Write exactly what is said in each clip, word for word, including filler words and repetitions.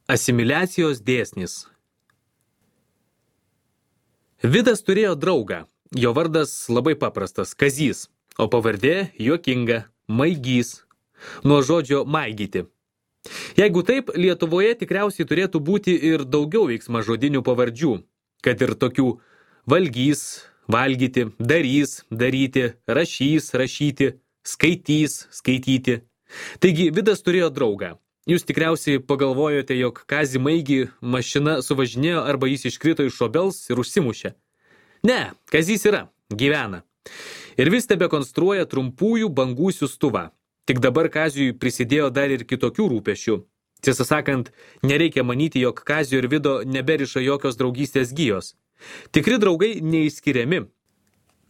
Asimiliacijos dėsnis. Vidas turėjo draugą. Jo vardas labai paprastas – Kazys, o pavardė juokinga – Maigys, nuo žodžio maigyti. Jeigu taip, Lietuvoje tikriausiai turėtų būti ir daugiau veiksmažodinių pavardžių, kad ir tokių valgys, valgyti, darys, daryti, rašys, rašyti, skaitys, skaityti. Taigi Vidas turėjo draugą. Jūs tikriausiai pagalvojote, jog Kazį Maigį mašina suvažinėjo arba jis iškrito iš obels ir užsimušė. Ne, Kazys yra, gyvena. Ir vis tebe konstruoja trumpųjų bangų siųstuvą. Tik dabar Kaziui prisidėjo dar ir kitokių rūpešių. Tiesą sakant, nereikia manyti, jog Kazio ir Vido neberiša jokios draugystės gijos. Tikri draugai neišskiriami.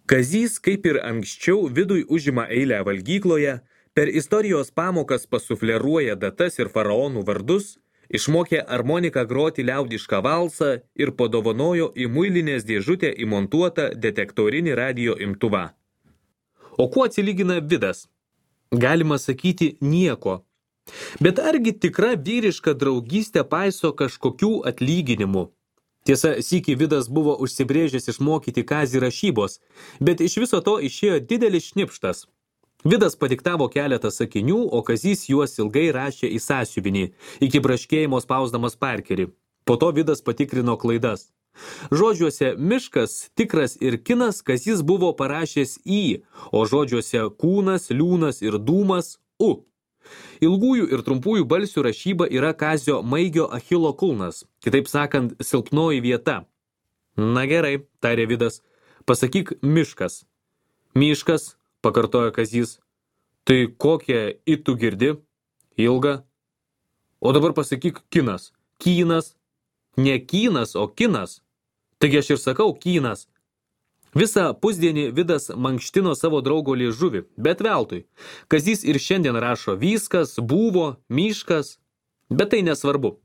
Kazys, kaip ir anksčiau, Vidui užima eilę valgykloje, per istorijos pamokas pasufleruoja datas ir faraonų vardus, išmokė armoniką groti liaudišką valsą ir padovanojo į muilinės dėžutę įmontuotą detektorinį radijo imtuvą. O kuo atsilygina Vidas? Galima sakyti nieko. Bet argi tikra vyriška draugystė paiso kažkokių atlyginimų? Tiesa, sykį Vidas buvo užsibrėžęs išmokyti Kazį rašybos, bet iš viso to išėjo didelis šnipštas. Vidas padiktavo keletą sakinių, o Kazys juos ilgai rašė į sąsiuvinį, iki braškėjimo spausdamas parkerį. Po to Vidas patikrino klaidas. Žodžiuose miškas, tikras ir kinas Kazys buvo parašęs į, o žodžiuose kūnas, liūnas ir dūmas u. Ilgųjų ir trumpųjų balsių rašyba yra Kazio Maigio Achilo kulnas, kitaip sakant, silpnoji vieta. Na gerai, tarė Vidas, pasakyk miškas. Miškas, pakartojo Kazys. Tai kokią į tu girdi? Ilga. O dabar pasakyk kinas. Kynas. Ne kynas, o kinas. Taigi aš ir sakau kynas. Visą pusdienį Vidas mankštino savo draugo liežuvį, bet veltui. Kazys ir šiandien rašo viskas, buvo, miškas. Bet tai nesvarbu.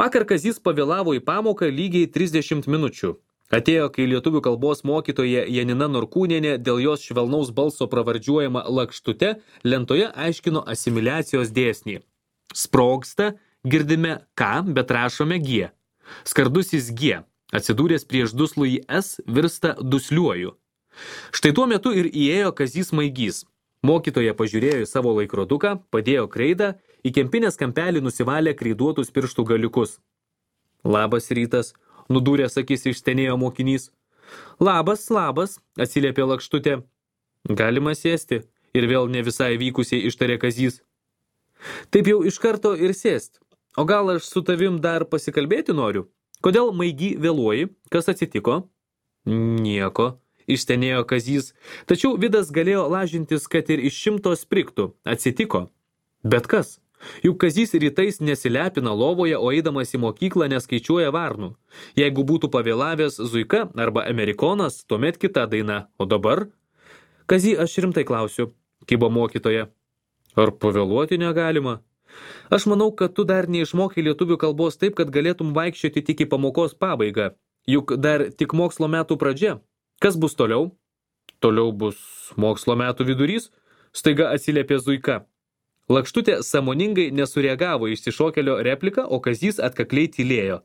Vakar Kazys pavėlavo į pamoką lygiai trisdešimt minučių. Atėjo, kai lietuvių kalbos mokytoja Janina Norkūnienė dėl jos švelnaus balso pravardžiuojama lakštute lentoje aiškino asimiliacijos dėsnį. Sprogsta, girdime K, bet rašome G. Skardusis G, atsidūręs prieš duslųjį S, virsta dusliuoju. Štai tuo metu ir įėjo Kazys Maigys. Mokytoja pažiūrėjo į savo laikroduką, padėjo kreidą, į kempinės kampelį nusivalė kreiduotus pirštų galiukus. Labas rytas. Nudūręs akis išstenėjo mokinys. Labas, labas, atsiliepė lakštutė. Galima sėsti, ir vėl ne visai vykusiai ištarė Kazys. Taip jau iš karto ir sėst. O gal aš su tavim dar pasikalbėti noriu? Kodėl Maigi vėluoji? Kas atsitiko? Nieko, išstenėjo Kazys. Tačiau Vidas galėjo lažintis, kad ir iš šimto spriktų. Atsitiko. Bet kas? Juk Kazys rytais nesilepina lovoje, o eidamas į mokyklą neskaičiuoja varnų. Jeigu būtų pavėlavęs Zuika arba Amerikonas, tuomet kita daina. O dabar? Kazy, aš rimtai klausiu, kibo mokytoja. Ar pavėluoti negalima? Aš manau, kad tu dar neišmokai lietuvių kalbos taip, kad galėtum vaikščioti tik į pamokos pabaigą. Juk dar tik mokslo metų pradžia. Kas bus toliau? Toliau bus mokslo metų vidurys, staiga atsiliepė Zuika. Lakštutė sąmoningai nesureagavo išsišokėlio repliką, o Kazys atkakliai tylėjo.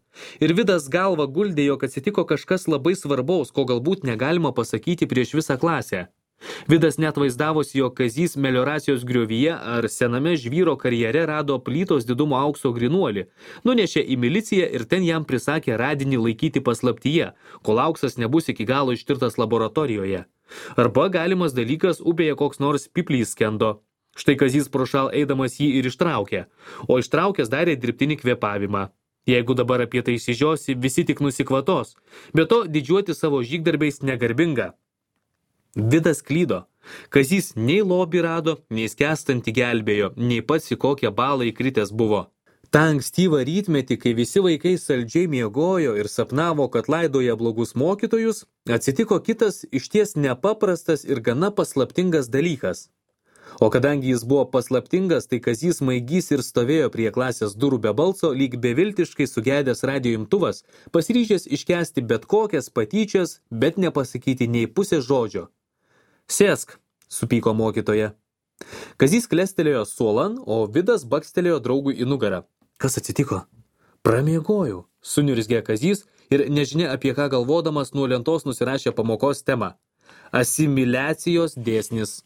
Ir Vidas galva guldė, jog atsitiko kažkas labai svarbaus, ko galbūt negalima pasakyti prieš visą klasę. Vidas net vaizdavosi, jog Kazys melioracijos griovyje ar sename žvyro karjere rado plytos didumo aukso grinuolį, nunešė į miliciją ir ten jam prisakė radinį laikyti paslaptyje, kol auksas nebus iki galo ištirtas laboratorijoje. Arba galimas dalykas upėje koks nors piplys skendo. Štai Kazys prošal eidamas jį ir ištraukė, o ištraukęs darė dirbtinį kvėpavimą. Jeigu dabar apie tai išsižiosi, visi tik nusikvatos, bet to didžiuoti savo žygdarbiais negarbinga. Vidas klydo. Kazys nei lobį rado, nei skęstantį gelbėjo, nei pats į kokią balą įkritęs buvo. Ta ankstyvą rytmetį, kai visi vaikai saldžiai miegojo ir sapnavo, kad laidoja blogus mokytojus, atsitiko kitas išties nepaprastas ir gana paslaptingas dalykas. O kadangi jis buvo paslaptingas, tai Kazys Maigys ir stovėjo prie klasės durų be balso, lyg beviltiškai sugedęs radijo imtuvas, pasiryžęs iškęsti bet kokias patyčias, bet nepasakyti nei pusės žodžio. Sėsk, supyko mokytoja. Kazys klestelėjo suolan, o Vidas bakstelėjo draugui į nugarą. Kas atsitiko? Pramiegojau, suniurzgė Kazys ir nežinia apie ką galvodamas nuo lentos nusirašė pamokos temą. Asimiliacijos dėsnis.